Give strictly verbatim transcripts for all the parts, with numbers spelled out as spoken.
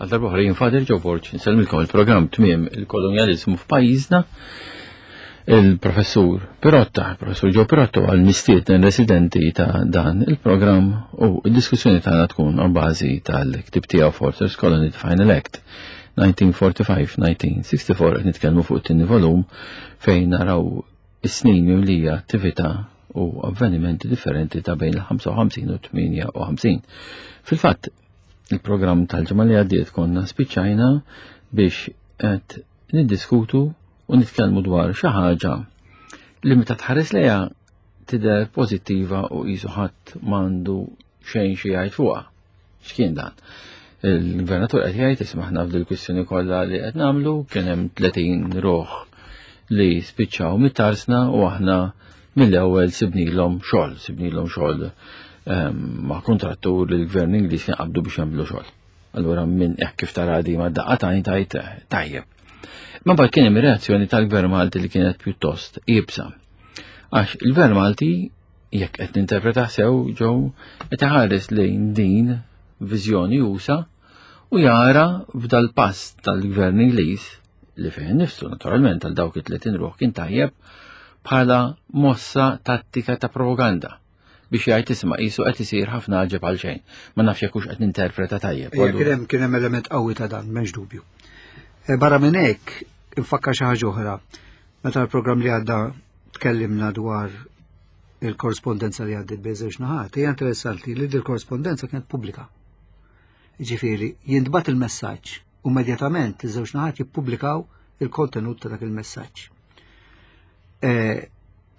Għal darba oħra jien Father Joe Borg insellmilkom il-programm Tmiem il-Kolonjaliżmu f'pajjiżna. Il-professur Pirotta, il-professur Joe Pirotta għal mistieden residenti ta' dan il-programm u id-diskussjoni tagħna tkun a bażi tal-ktib tiegħu Fortress Colony The Final Act elf disa' mija u erbgħa u erbgħin-elf disa' mija u sitta u erbgħin. Qed nitkellmu fuq it-tieni volum fejn naraw is-snin mimlija attività u avvenimenti differenti ta' bejn il-ħamsa u ħamsin u tmienja u ħamsin. Fil-fatt, il-programm tal-ġimgħa li għaddiet konna spiċċajna biex qed niddiskutu u nitkellmu dwar xi ħaġa li meta tħares lejha tidher pożittiva u qisu ħadd m'għandu xejn xi jgħid fuqha. X'kien dan? Il-gvernatur qed jgħid, isma', aħna f'dil kwistjoni kollha li qed nagħmlu kien hemm tletin ruħ li spiċċaw mit-tarsna u aħna mill-ewwel sibnilhom xogħol, sibnilhom xogħol ehm, ma' kontrattur li l-gvern Ingliż kien qabdu biex jagħmlu xogħol. Allura minn hekk kif tara di ma daqqa tajn tajt tajjeb. Ma mbagħad kien hemm reazzjoni tal-Gvern Malti li kienet pjuttost iebsa. Għax il-Gvern Malti, jekk qed ninterpreta sew ġew, qed iħares lejn din viżjoni usa u jara f'dal pass tal-Gvern Ingliż, li fejn nifsu naturalment għal dawk it-tletin ruħ kien tajjeb, bħala mossa tattika ta' propaganda biex jgħid, isma', qisu qed isir ħafna ġeb għal xejn. Ma nafx jekk hux qed ninterpreta tajjeb. Kien hemm kien hemm element qawwi ta' dan, m'hemmx dubju. E, barra minn hekk, infakkar xi ħaġa oħra. Meta l-programm li għadda tkellimna dwar il-korrespondenza li għaddit bejn żewġ naħat, hija interessanti li il-korrespondenza kienet pubblika. Ġifieri, jintbagħat il-messaġġ u immedjatament iż-żewġ naħat jippubblikaw il-kontenut ta' dak il-messaġġ. E,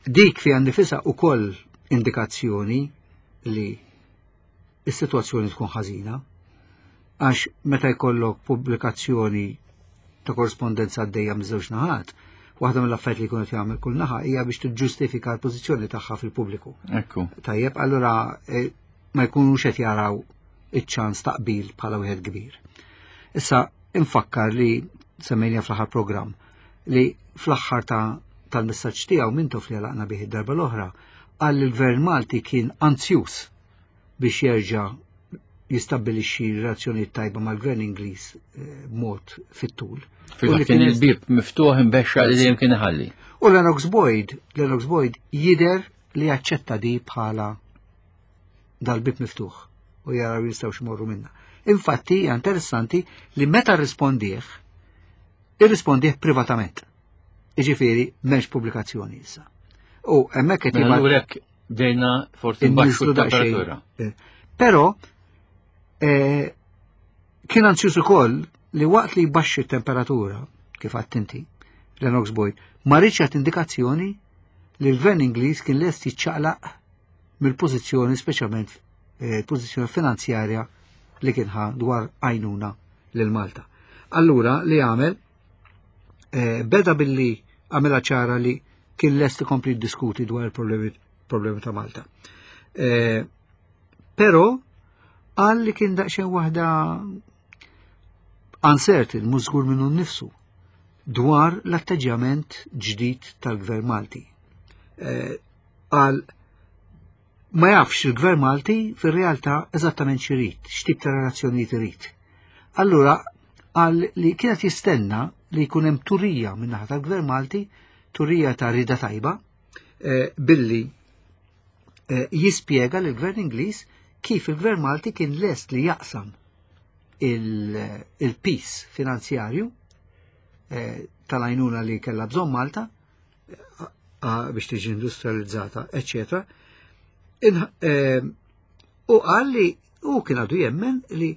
dik fiha nnifisha ukoll indikazzjoni li is-sitwazzjoni tkun ħażina, għax meta jkollok pubblikazzjoni ta' korrespondenza għaddejja miż-żewġ naħat, waħda mill-affarijiet li jkunu jagħmel kull naħa hija biex tiġġustifika l-pożizzjoni tagħha fil-pubbliku. Ekku. Tajjeb, allura eh, ma jkunux qed jaraw iċ-ċans ta' qbil bħala wieħed kbir. Issa infakkar li semmejna fl-aħħar programm li fl-aħħar ta' tal-messaġġ tiegħu Mintoff li għalaqna bih id-darba l-oħra qal li l-Gvern Malti kien anzjus biex jerġa' jistabbilixxi relazzjonijiet tajba mal-Gvern Ingliż eh, b'mod fit-tul. Fil kien il-bib miftuħ imbexxa li dejjem kien iħalli. U Lennox Boyd, Lennox Boyd jider li jaċċetta di bħala dal-bib miftuħ u jaraw jistgħu xmorru minna. Infatti, hija interessanti li meta rrispondih, irrispondih privatament. Iġifieri, m'hemmx pubblikazzjoni issa. U hemmhekk qed Mela allura hekk bdejna forsi nbaxxu t-temperatura. Eh, Però eh, kien anzjus ukoll li waqt li jbaxxi t-temperatura, kif għedt inti, Lennox Boyd, ma riedx jagħti indikazzjoni li l-Gvern Ingliż kien lest jiċċaqlaq mill-pożizzjoni, speċjalment eh, pożizzjoni finanzjarja li kien ħa dwar għajnuna lil Malta. Allura li għamel eh, beda billi għamela ċara li kien lest ikompli diskuti dwar il-problemi problemi ta' Malta. Eh, Però qal li kien daqsxejn waħda uncertain, mhux żgur minnu nnifsu, dwar l-atteġġjament ġdid tal-Gvern Malti. Eh, Qal ma jafx il-Gvern Malti fir-realtà eżattament x'irid, x'tip ta' relazzjonijiet irid. Allura qal li kienet jistenna li jkun hemm turija min-naħa tal-Gvern Malti, turija ta' rida tajba, eh, billi eh, jispjega lill-Gvern Ingliż kif il-Gvern Malti kien lest li jaqsam il-piż finanzjarju eh, tal-għajnuna li kella bżonn Malta eh, biex tiġi industrializzata, eccetera. Eh, u qal li u kien għadu jemmen li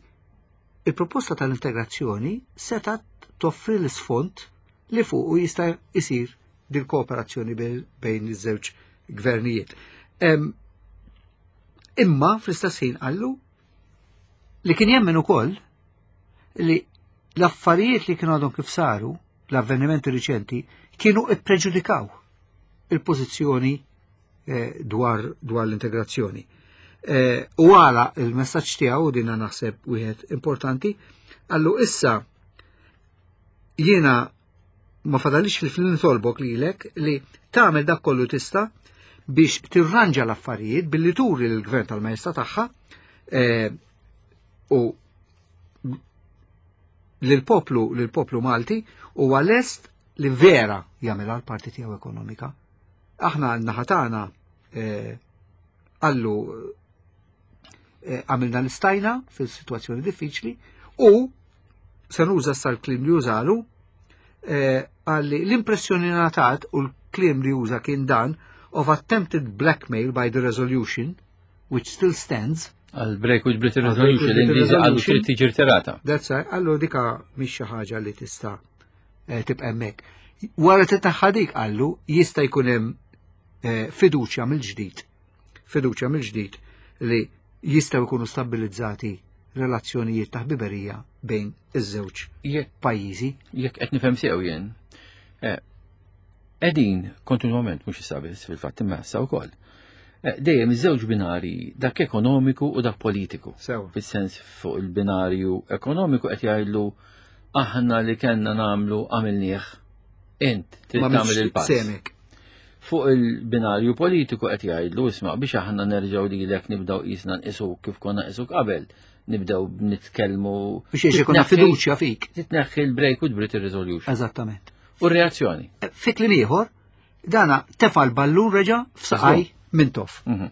il-proposta tal-integrazzjoni setat toffri l-isfond li fuq u jista' isir dil-kooperazzjoni bejn iż-żewġ gvernijiet. Imma fl-istess ħin qallu li kien jemmen ukoll li l-affarijiet li kienu għadhom kif saru, l-avvenimenti riċenti, kienu ippreġudikaw il-pożizzjoni eh, dwar, dwar l-integrazzjoni. Eh, u għala il-messaġġ tiegħu, dina naħseb wieħed importanti, qallu issa jiena ma fadalix fil nitolbok lilek li tagħmel dak kollu tista' biex tirranġa l-affarijiet billi turi l-gvern tal-majesta tagħha eh, u Lill-poplu lill-poplu Malti huwa lest li vera jagħmilha l-parti tiegħu ekonomika. Aħna n-naħa tagħna eh, għallu eh, għamilna l-istajna fil-situazzjoni diffiċli u se nuża sa l-kliem li użalu eh, għalli l-impressjoni ngħatat u l-kliem li uża kien dan of attempted blackmail by the resolution which still stands. Għal Break with Britain Resolution, l-Ingliżi għallu trid tiġi rtirata. That's right, għallu dika mhix xi ħaġa li tista' eh, tibqa' hemmhekk. Wara titneħħa dik għallu jista' jkun hemm eh, fiduċja mill-ġdid. Fiduċja mill-ġdid li jistgħu jkunu stabilizzati relazzjonijiet ta' ħbiberija bejn iż-żewġ Jekk pajjiżi. Jekk qed nifhem sew jien, eh, qegħdin kontinwament mhux issa biss fil-fatt imma issa wkoll. Eh, Dejjem iż-żewġ binari dak ekonomiku u dak politiku. Sewa. Fis-sens fuq il-binarju ekonomiku qed jgħidlu aħna li kellna nagħmlu għamilnieh int trid Ma tagħmel il-pass. Semek. Fuq il-binarju politiku qed jgħidlu isma' biex aħna nerġgħu lilek nibdew qisna nqisuk kif konna nqisuk qabel, nibdew nitkellmu Biex jiex ikun titneħħi- fiduċja fik. Titneħħi l-break with Britain Resolution. Eżattament. U r-reazzjoni. Fi kliem ieħor, dana tefa l-ballun reġa' f'saqaj Mintoff. Mhm.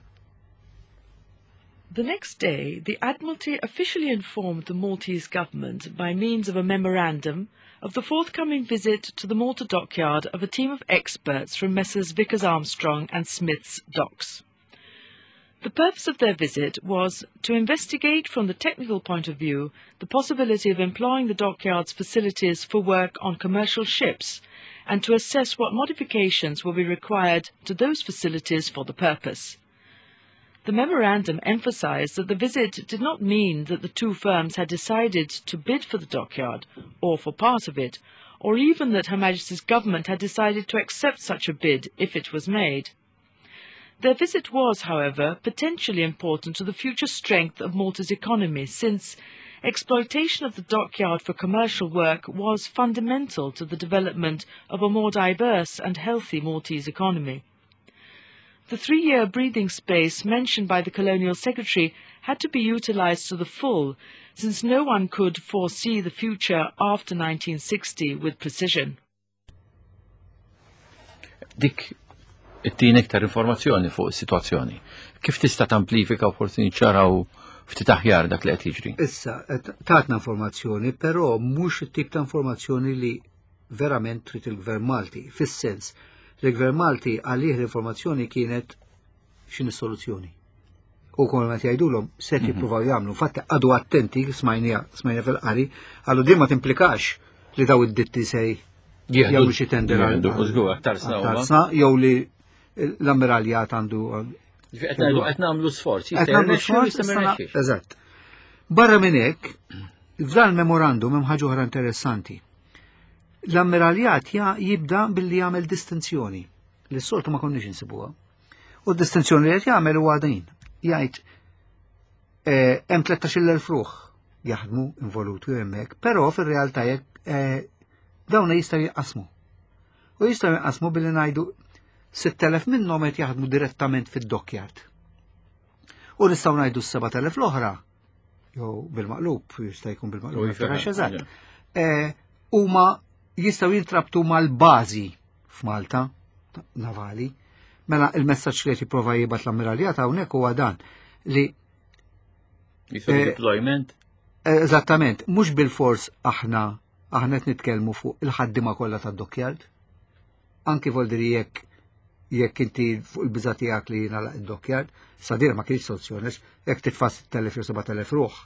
The next day, the Admiralty officially informed the Maltese government by means of a memorandum of the forthcoming visit to the Malta dockyard of a team of experts from Messrs. Vickers Armstrong and Smith's Docks. The purpose of their visit was to investigate from the technical point of view the possibility of employing the dockyard's facilities for work on commercial ships and to assess what modifications will be required to those facilities for the purpose. The memorandum emphasized that the visit did not mean that the two firms had decided to bid for the dockyard, or for part of it, or even that Her Majesty's government had decided to accept such a bid if it was made. Their visit was, however, potentially important to the future strength of Malta's economy, since exploitation of the dockyard for commercial work was fundamental to the development of a more diverse and healthy Maltese economy. The three-year breathing space mentioned by the Colonial Secretary had to be utilized to the full, since no one could foresee the future after nineteen sixty with precision. Dik it-tieni iktar informazzjoni fuq is-sitwazzjoni. Kif tista' tamplifika u forsi niċċaraw ftit aħjar dak li qed jiġri? Issa, tatna informazzjoni, però mhux it-tip ta' informazzjoni li verament trid il-Gvern Malti. Fis-sens, l-Gvern Malti għalih l-informazzjoni kienet x'inhi soluzzjoni. U kol ma jgħidulhom se mhm. jippruvaw jagħmlu. Fatt għadu attenti, smajnija, smajnija fil-qari, għallu din ma timplikax li daw id-ditti se jagħmlu xi tender għal jew li l-ammiraljat għandu. Qed nagħmlu sforz, qed nagħmlu sforz, eżatt. Barra minn hekk, f'dan il-memorandum hemm ħaġa oħra interessanti. L-ammiraljat jibda billi jagħmel distinzjoni li s-soltu ma konniex insibuha. U d-distinzjoni li qed jagħmel huwa din. Jgħid eh, hemm tlettax-il elf ruħ jaħdmu involuti hemmhekk, però fir-realtà jekk eh, dawn jistgħu jinqasmu. U jistgħu jinqasmu billi ngħidu sitt elef minnhom qed jaħdmu direttament fid-dockyard. U nistgħu ngħidu s-sebat elef l-oħra, jew bil-maqlub, jista' jkun bil-maqlub, eżatt. Eh, huma jistgħu jintrabtu mal-bażi f'Malta navali. Mela il-messaġġ li qed jipprova jibgħat l-ammiraljat hawnhekk huwa dan li eh, deployment. Eżattament, mhux bil-fors aħna aħna qed nitkellmu fuq il-ħaddima kollha tad-dockyard. Anki voldiri jekk jekk inti fuq il-biża tiegħek li jingħalaq id-dockyard, sadir ma kienx soluzzjoni, jekk titfa' sitt elef jew seba' elef ruħ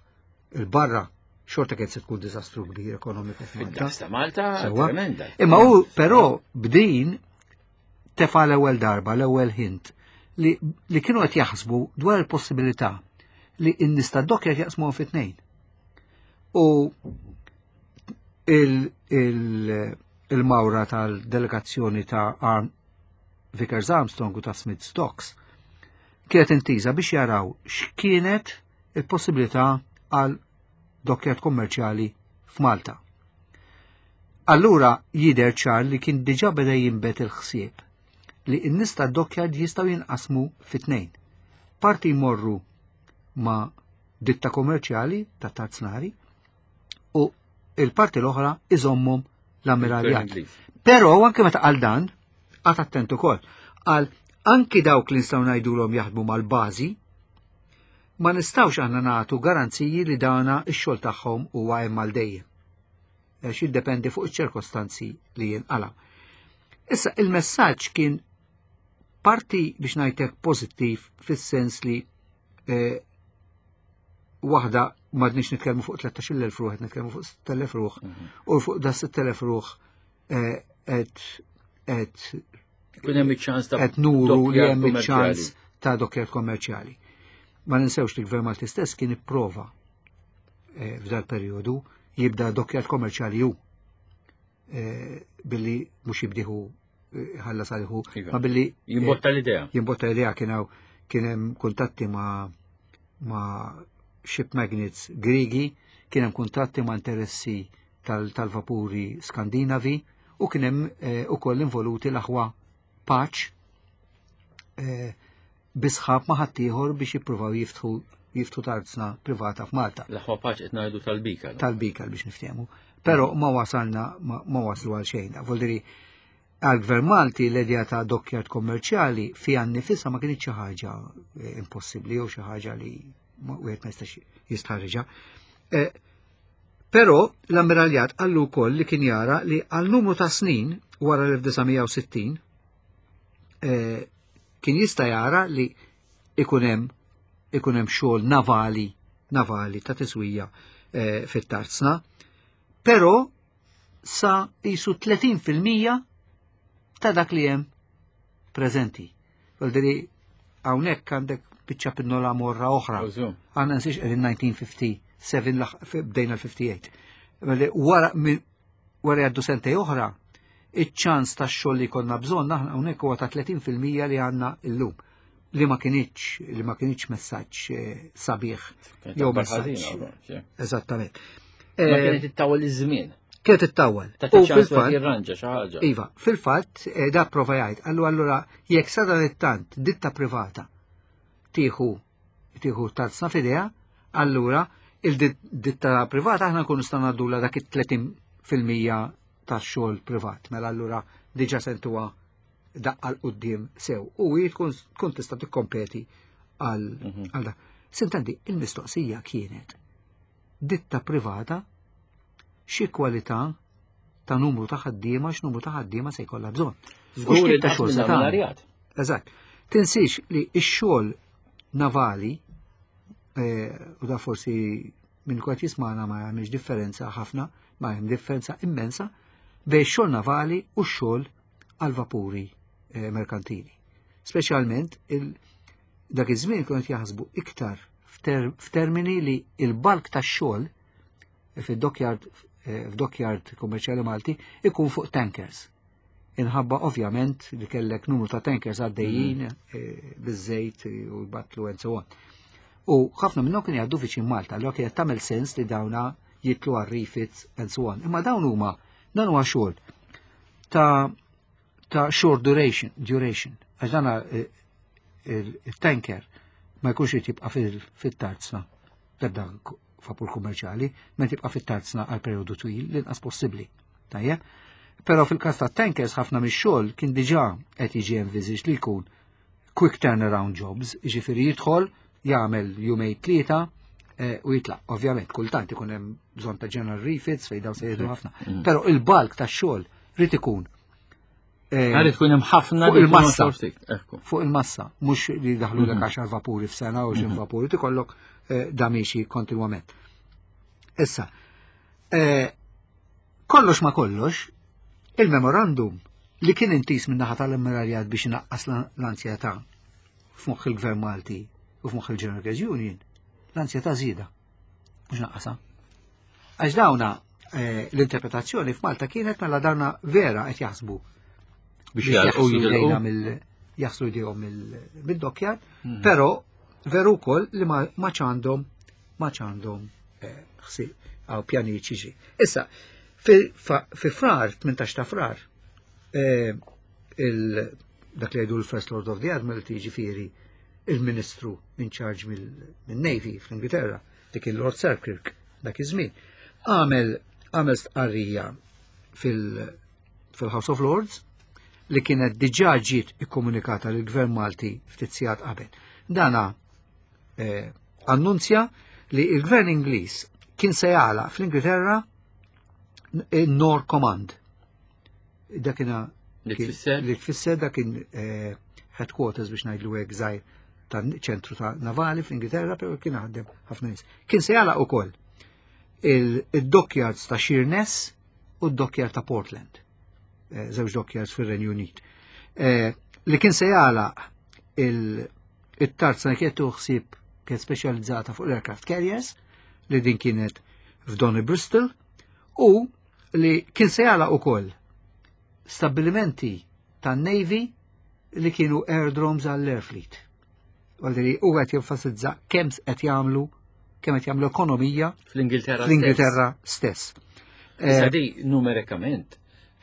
il-barra xorta kien se tkun diżastru kbir ekonomiku f'Malta. Ta' Malta tremenda. Imma hu però b'din tefa l-ewwel darba, l-ewwel hint li, li kienu qed jaħsbu dwar il-possibilità li n-nies tad-dockyard jaqsmuhom fi tnejn. U il-mawra tal-delegazzjoni ta' Arm Vickers Armstrong u ta' Smith Docks kienet intiża biex jaraw x'kienet il-possibilità għal dockyard kommerċjali f'Malta. Allura jider ċar li kien diġà beda jinbet il-ħsieb li n-nies tad-dockyard jistgħu jinqasmu fit-tnejn. Parti jmorru ma' ditta kommerċjali ta' tarznari u Il-parti l-oħra iżommhom l-ammiraljat. Però anke meta qal dan, qagħad attent ukoll, qal anki dawk li nistgħu ngħidulhom jaħdmu mal-bażi, ma nistgħux aħna nagħtu garanziji li dana x-xogħol tagħhom huwa hemm għal dejjem. Għax jiddependi fuq iċ-ċirkostanzi li jinqala. Issa il-messaġġ kien parti biex ngħidlek pożittiv fis-sens li eh, waħda m'għadniex nitkellmu fuq tlettax-il elf ruħ, qed nitkellmu fuq sitt elef ruħ, u fuq da sitt elef ruħ eh, qed qed Kun hemm iċ-ċans ta' qed nuru li dockyard hemm iċ-ċans kummerċjali. ta' dockyard kommerċjali. Ma ninsewx li l-Gvern Malti stess kien ipprova eh, f'dal perjodu jibda dockyard kommerċjali hu eh, billi mhux jibdiħu eh, ħalla saliħu, Iva. ma billi eh, Jimbotta l-idea. jimbotta l-idea. Kien hawn kien hemm kuntatti ma' ma' ship magnates Grigi, kien hemm kuntatti ma' interessi tal- tal-vapuri Skandinavi u kien hemm eh, ukoll involuti l-aħwa Pace eh, bi sħab ma' ħaddieħor biex jippruvaw jiftħu jiftħu tarzna privata f'Malta. L-aħwa Pace qed ngħidu tal-Bika. Tal-Bika biex niftehmu. Però ma wasalna ma, ma waslu għal xejn. Voldiri, għal-Gvern Malti l-idea ta' dockyard kommerċjali fiha nnifisha ma kienx xi ħaġa eh, impossibbli jew xi ħaġa li ma- wieħed ma jistax jistħarriġha. Eh, Però l-ammiraljat qallu wkoll li kien jara li għal numru ta' snin wara l-elf disa' mija u sittin eh, kien jista' jara li ikun hemm ikun hemm xogħol navali navali ta' tiswija eh, fit-tarzna, però sa jisu tletin fil-mija ta' dak li hemm preżenti. Voldiri, hawnhekk għandek biċċa pinnola morra oħra. Użu. Għanna nsiex qegħdin elf disa' mija u sitta u ħamsin laħ- bdejna l-ħamsa u sittin. Mela, Wara min- wara jgħaddu sentej oħra, iċ-ċans ta' xogħol li konna bżonn aħna hawnhekk huwa ta' tletin fil-mija li għandna illum, li ma kienx li ma kienx messaġġ eh, sabiħ Kienet jew akbar messaġġ. ħażina, ukoll, sì. Eżattament. Ma Eh, kienet ittawwal iż-żmien. Kienet ittawwal. Ta' U ċans wieħed fil-fatt jirranġa xi ħaġa. Iva, fil-fatt, eh, da prova jgħid, allu allura jekk sa dan it-tant ditta privata tieħu tieħu tarzna f'idejha, allura il-ditta privata aħna nkunu nistgħu ngħaddula dak it-tletin fil-mija tax-xogħol privat. Mela allura diġà sentuha daqqa 'l quddiem sew u hi tkun tkun tista' tikkompeti għal Mhm. għal da. Sintendi, il-mistoqsija kienet ditta privata xi kwalità ta' numru ta' ħaddiema, x'numru ta' ħaddiema se jkollha bżonn. U Żgur x'tip ta' inqas xogħol se minn tagħmel. ammiraljat. Eżatt. Tinsiex li x-xogħol navali eh, u da forsi minn kwat jismana ma jagħmilx differenza ħafna, ma hemm differenza immensa bejn xogħol navali u x-xogħol għal vapuri eh, merkantili. Speċjalment il dak iż-żmien kienu qed jaħsbu iktar f'ter- f'termini li il-bulk tax-xogħol fid-dockyard eh, f'dockyard kummerċjali Malti ikun fuq tankers. Inħabba ovvjament li kellek numru ta' tankers għaddejjin eh, biż-żejt u jbatlu and so on. U ħafna minnhom kienu jgħaddu viċin Malta, allura kienet tagħmel sens li dawna jitlu għal refits and so on. Imma dawn huma dan huwa xogħol ta' ta' short duration, duration. Għax dana eh, il-tanker ma jkunx irid jibqa' fil- fit-tarzna l-ebda vapur kummerċjali, ma tibqa' fit-tarzna għal perjodu twil l-inqas possibbli. Tajjeb? Però fil-każ ta' tankers ħafna mix-xogħol kien diġà qed jiġi envisaged li jkun quick turnaround jobs, jiġifieri jidħol, jagħmel jumej tlieta eh, u jitlaq. Ovvjament, kultant ikun hemm bżonn ta' general refits fejn dawn se jieħdu ħafna. Però il-bulk tax-xogħol rid ikun eh, Għalli tkun hemm ħafna fuq li jkunu il-massa. xogħol ftit. Ekku. Fuq il-massa, mhux li daħlu l għaxar vapuri f'sena u xi vapuri tikollok eh, da miexi kontinwament. Issa, eh, kollox ma kollox, il-memorandum li kien intis minn naħa tal-ammiraljat biex inaqqas l-anzjetà f'moħħ il-Gvern Malti u f'moħħ il-General Workers Union, l-anzjetà żieda, mhux naqqasha. Għax dawna eh, l-interpretazzjoni f'Malta kienet mela dawna vera qed jaħsbu Biex jgħalqu jaħslu jitilqu. jdejna mill jaħslu jdejhom mill-dockyard, però veru wkoll li ma ma ċandhom ma ċandhom eh, ħsieb għaw pjanijiet xiġi. Issa, fi fa- fi Frar, tmintax ta' Frar, eh, il dak li jgħidu l-First Lord of the Admiralty, ġifieri il-Ministru in charge mill-Navy fl-Ingilterra, dik il-Lord Selkirk, dak iż-żmien, għamel għamel stqarrija fil-House of Lords li kienet diġà ġiet ikkomunikata lill-Gvern Malti ftit sigħat qabel. Dana eh, annunzja li il-Gvern Ingliż kien se jagħlaq fl-Ingilterra North Command. Dakina Li tfisser? Li tfisser dak kien eh, headquarters, biex ngħidlu hekk, żgħir ta' ċentru ta' navali fl-Ingilterra, però kien ħaddem ħafna nies. Kien se jagħlaq ukoll il-dockyards ta' Sheerness u d-dockyard ta' Portland. Eh, żewġ dockyards fir-Renju Unit. Eh, li kien se jagħlaq il-tarzna kienet ħsieb kienet speċjalizzata fuq l-aircraft carriers li din kienet f'Donny Bristol u li kien se jagħlaq ukoll stabilimenti tan-Navy li kienu aerodromes għall-Air Fleet. Għalli u qed jenfasizza kemm qed jagħmlu kemm qed jagħmlu ekonomija fl-Ingilterra. Fl-Ingilterra stess. Issa di numerikament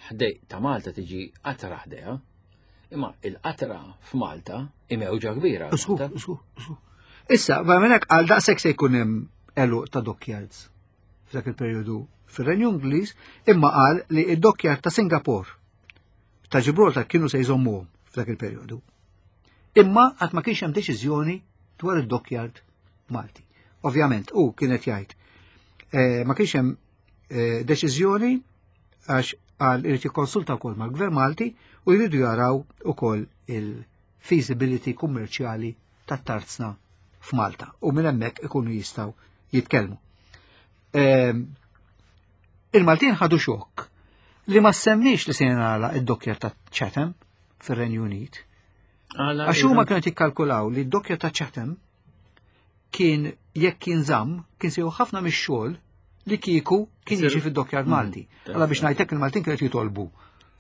ħdej ta' Malta tiġi qatra ħdejha, imma il-qatra f'Malta imewġa kbira. Żgur, żgur, żgur. Issa, ma minnek għal daqshekk se jkun hemm għeluq ta' dockyards f'dak il-perjodu fir-Renju Ingliż, imma qal li id-dockyard ta' Singapore, ta' Gibraltar kienu se jżommuhom f'dak il-perjodu. Imma għad ma kienx hemm deċiżjoni dwar id-dockyard Malti. Ovvjament, u kienet jgħid, eh, ma kienx hemm eh, deċiżjoni għax għal irid jikkonsulta wkoll mal-Gvern Malti u jridu jaraw ukoll il-feasibility kummerċjali tat-tarzna f'Malta u minn hemmhekk ikunu jistgħu jitkellmu. Ehm, Il-Maltin ħadu xokk li ma semmix li se jingħalaq id-dockyard ta' Chatham fir-Renju Unit. Għax huma kienu jikkalkulaw li d-dockyard ta' Chatham kien jekk kien żamm kien sew ħafna mix-xogħol li kieku kien jiġi fid-dockyard mm. Malti. Għalla biex ngħidlek, il-Maltin kienu jitolbu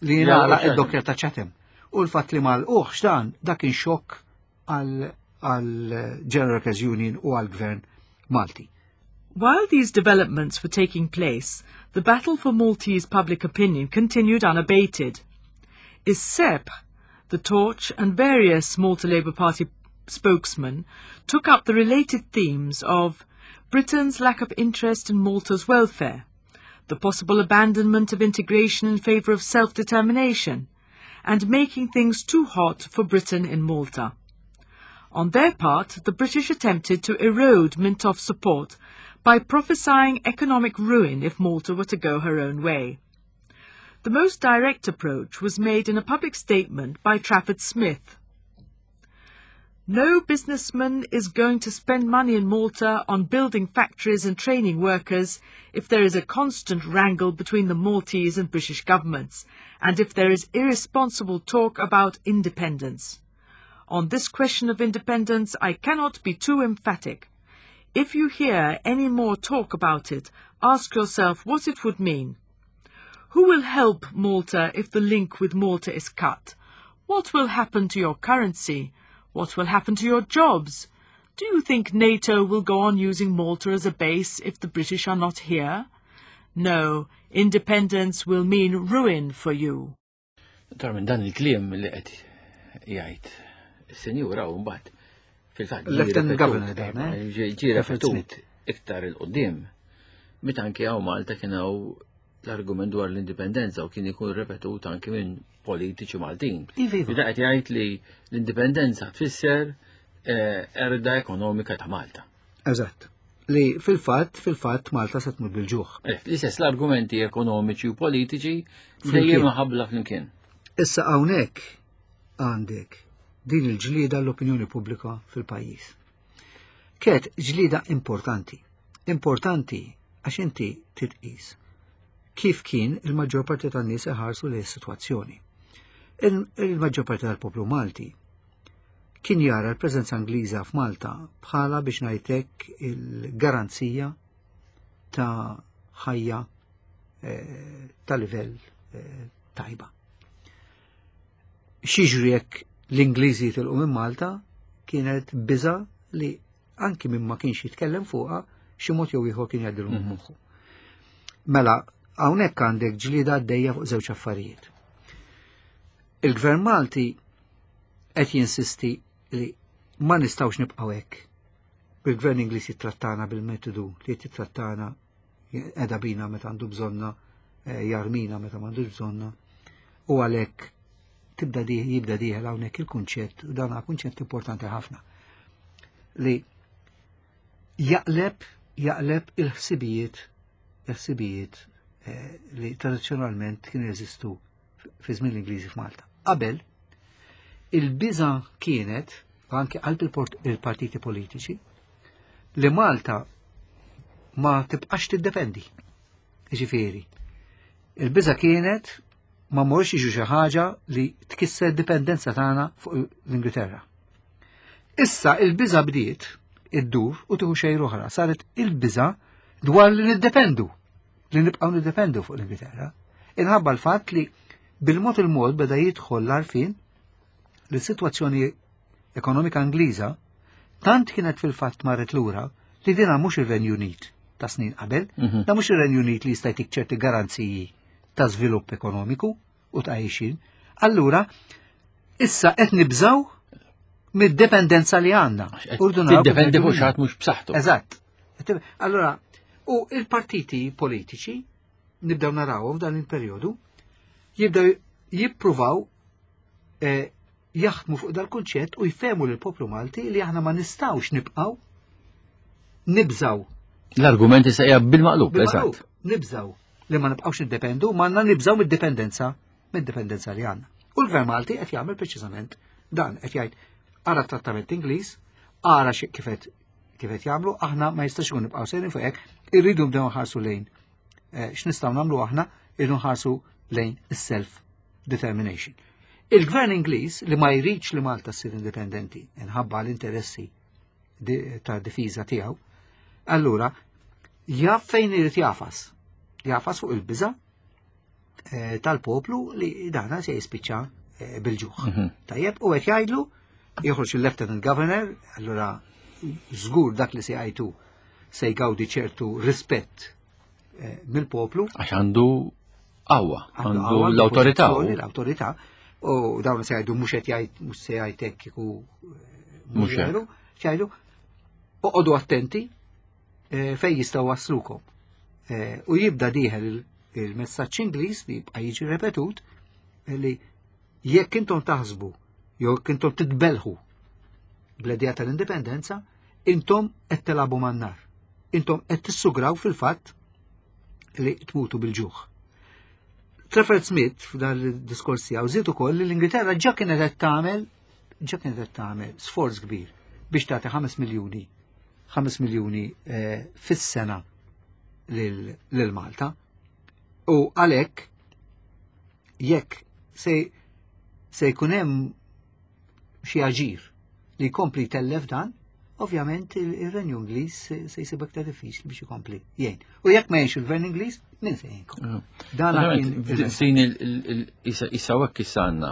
li jingħalaq id-dockyard ta' Chatham. U l-fatt li mal uħx dan dak kien xokk għal General Workers Union u għal-Gvern Malti. While these developments were taking place, the battle for Maltese public opinion continued unabated. Is-Sebħ, the Torch, and various Malta Labour Party spokesmen took up the related themes of Britain's lack of interest in Malta's welfare, the possible abandonment of integration in favour of self-determination, and making things too hot for Britain in Malta. On their part, the British attempted to erode Mintoff's support by prophesying economic ruin if Malta were to go her own way. The most direct approach was made in a public statement by Trafford Smith. "No businessman is going to spend money in Malta on building factories and training workers if there is a constant wrangle between the Maltese and British governments, and if there is irresponsible talk about independence. On this question of independence, I cannot be too emphatic. If you hear any more talk about it, ask yourself what it would mean. Who will help Malta if the link with Malta is cut? What will happen to your currency? What will happen to your jobs? Do you think NATO will go on using Malta as a base if the British are not here? No, independence will mean ruin for you." Tar minn dan il-kliem li qed jgħid is-senjura u mbagħad fil-fatt Lieutenant Governor dan, eh? Ġie repetut iktar 'il quddiem. Meta anke hawn Malta kien hawn l-argument dwar l-indipendenza u kien ikun repetut anke minn politiċi Maltin. Iva, iva. Bida qed jgħid li l-indipendenza tfisser eh, qerda ekonomika ta' Malta. Eżatt. Li fil-fatt, fil-fatt Malta se tmur bil-ġuħ. Eh, L-istess l-argumenti ekonomiċi u politiċi dejjem ħabla flimkien. Issa hawnhekk għandek din il-ġlida l-opinjoni pubblika fil-pajjiż. Kienet ġlida importanti. Importanti għax inti titqis kif kien il-maġġor parti tan-nies iħarsu li s-sitwazzjoni. Il-maġġor parti tal-poplu Malti kien jara l-preżenza Ingliża f'Malta bħala, biex ngħidlek, il-garanzija ta' ħajja eh, ta' livell eh, tajba. X'jiġri jekk l-Ingliżi jitilqu minn Malta kienet biża li anki minn ma kienx jitkellem fuqha, xi mod jew ieħor kien jgħaddilu minn moħħu. Mela, hawnhekk għandek ġlida għaddejja fuq żewġ affarijiet. Il-Gvern Malti qed jinsisti li ma nistgħux nibqgħu hekk. Bil-Gvern Ingliż jittrattana bil-metodu li jittrattana Edha bina meta għandu bżonna, eh, jarmina meta m'għandux bżonna. U għalhekk tibda di jibda dieħel hawnhekk il-kunċett, u dan kunċett importanti ħafna, li jaqleb jaqleb il-ħsibijiet il-ħsibijiet eh, li tradizzjonalment kienu jeżistu fi żmien l-Ingliżi f'Malta. Qabel, il-biża kienet, anke qalb il-partiti politiċi, li Malta ma tibqax tiddependi. Ġifieri, il-biża kienet ma morx jiġu xi ħaġa li tkisser dipendenza tagħna fuq l-Ingilterra. Issa il-biża bdiet iddur u tieħu xejn oħra, saret il-biża dwar li niddependu, li nibqgħu niddependu fuq l-Ingilterra. Inħabba l-fatt li bil-mod il-mod beda jidħol l-għarfien li s-sitwazzjoni ekonomika Ingliża tant kienet fil-fatt marret lura li dina mhux ir-Renju Unit ta' snin qabel, Mhm. da mhux ir-Renju Unit li jista' jtik ċerti garanziji ta' żvilupp ekonomiku u ta' għixin. Allura, issa qed nibżaw mid-dependenza li għandna. Urdu naraw kif Tiddependi fuq ngħidu xi ħadd mhux b'saħħtu. Eżatt. Allora, u il-partiti politiċi, nibdew narawhom f'dan il-perjodu, jibdew jippruvaw eh, jaħdmu fuq dal-kunċett u jfehmu lill-poplu Malti li aħna ma nistgħux nibqgħu nibżaw L-argumenti se hija bil-maqlub, bil-maqlub, eżatt. nibżaw li ma nibqgħux niddependu, ma għandna nibżaw mid-dipendenza mid-dipendenza li għandna. U l-Gvern Malti qed jagħmel preċiżament dan, qed jgħid ara trattament Ingliż, ara xi kif qed kif qed jagħmlu, aħna ma jistax ikun nibqgħu sejrin fuq hekk, irridu nibdew nħarsu lejn eh, x'nistgħu nagħmlu aħna, irridu nħarsu lejn is-self determination. Il-Gvern Ingliż li ma jridx li Malta ssir indipendenti inħabba l-interessi di- ta' difiża tiegħu, allura jaf fejn irid jagħfas. Jagħfas fuq il-biża eh, tal-poplu li dana se jispiċċa eh, bil-ġuħ. Mhm. Tajjeb, u qed jgħidlu joħroġ il-Lieutenant Governor, allura żgur dak li se jgħidu se jgawdi ċertu rispett eh, mill-poplu. Għax għandu qawwa, għandu qawwa, l-awtorità. pożizzjoni, L-awtorità. U dawn se jgħidu mhux qed jgħid mhux se jgħid hekk kieku eh, Mhux hekk. veru, jgħidu oqogħdu attenti eh, fejn jistgħu waslukom. Eh, U jibda dieħel il- il-messaġġ Ingliż li jibqa' jiġi repetut eh, li jekk intom taħsbu jew jekk intom titbelħu bl-idea tal-indipendenza, intom qed tilagħbu man-nar. Intom qed tissugraw fil-fatt li tmutu bil-ġuħ. Trafford Smith f'dan il-diskors tiegħu żied ukoll li l-Ingilterra ġa kienet qed tagħmel ġa kienet qed tagħmel sforz kbir biex tagħti ħames miljuni ħames miljuni eh, fis-sena lil lil Malta. U għalhekk jekk se se jkun hemm xi aġir li jkompli tellef dan, ovvjament il- il-Renju Ingliż se se jsib aktar diffiċli biex ikompli jgħin. U jekk ma jgħinx il-Gvern Ingliż, min se jgħinkom? Dan kien il- F'din issa hekk issa għandna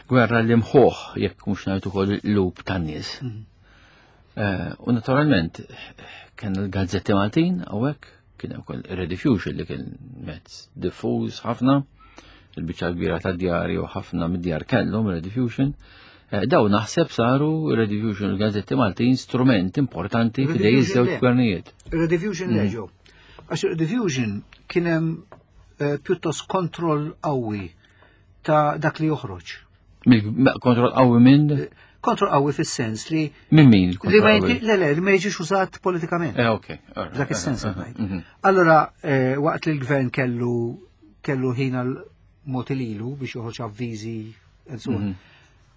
gwerra li mħuħ jekk mhux ngħid ukoll il-qlub tan-nies. Mhm. Eh, U naturalment kien il-gazzetti Maltin hawnhekk kien hemm ukoll Rediffusion li kien mezz diffuż ħafna, il-biċċa kbira tad-djar u ħafna mid-djar kellhom Rediffusion. Eh, Daw naħseb saru Rediffusion il-gazzetti Maltin strument importanti f'idej Rediffusion iż-żewġ le. gvernijiet. Rediffusion Mhm. leġo. Għax Rediffusion kien hemm eh, pjuttost kontroll qawwi ta' dak li joħroġ. Mill- Kontroll qawwi minn Kontroll qawwi fis-sens li minn min li ma kontroll qawwi? jinti- le le li ma jiġix użat politikament. Eh, ok. Alright. Dak is-sens Eh, qed ngħid. mhm. Allora, eh, waqt li l-gvern kellu kellu ħin għal mod lilu biex joħroġ avviżi and so on. Mhm.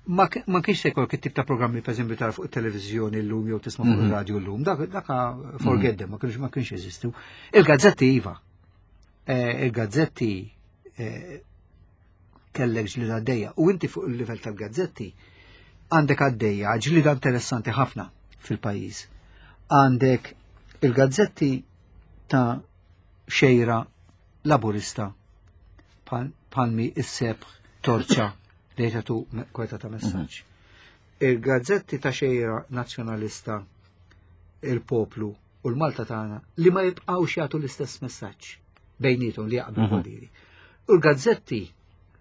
Ma ki- ma kienx se jkollok it-tip ta' programmi per eżempju tara fuq it-televiżjoni llum jew tisma' fuq Mhm. ir-radju llum, dak dak forget them, ma kienx ma kienx jeżistu. Il-gazzetti iva. Eh, Il-gazzetti eh, kellek ġlida għaddejja u inti fuq il-livell tal-gazzetti għandek għaddejja ġlida interessanti ħafna fil-pajjiż. Għandek il-gazzetti ta' xejra laburista palmi is-Sebħ, Torċa li jagħtu kweta ta' messaġġ. Il-gazzetti ta' xejra nazzjonalista, Il-Poplu u l-Malta tagħna li ma jibqgħux jagħtu l-istess messaġġ bejnietom li jaqblu Mhm. mm U l-gazzetti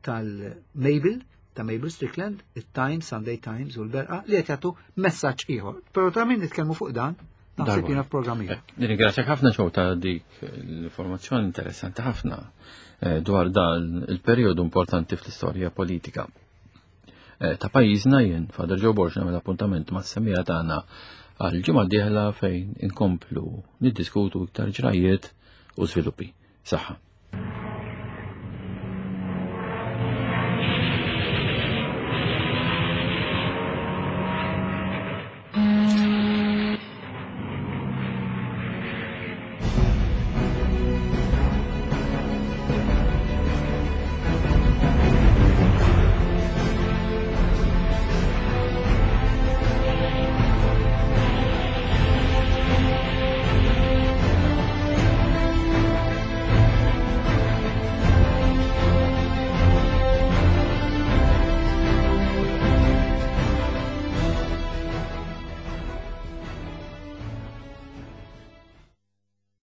tal-Mabel, ta' Mabel Strickland, il-Times, Sunday Times u l-Berqa li qed jagħtu messaġġ ieħor. Però ta' min nitkellmu fuq dan Naħseb jiena f'programm ieħor. Nirringrazzjak ħafna ċew ta' dik l-informazzjoni interessanti ħafna eh, dwar dan il-perjodu importanti fl-istorja politika eh, ta' pajjiżna. Jien Father Joe Borg nagħmel appuntament mas-semmiegħa tagħna għal ġimgħa dieħla fejn inkomplu niddiskutu iktar ġrajiet u żviluppi. Saħħa.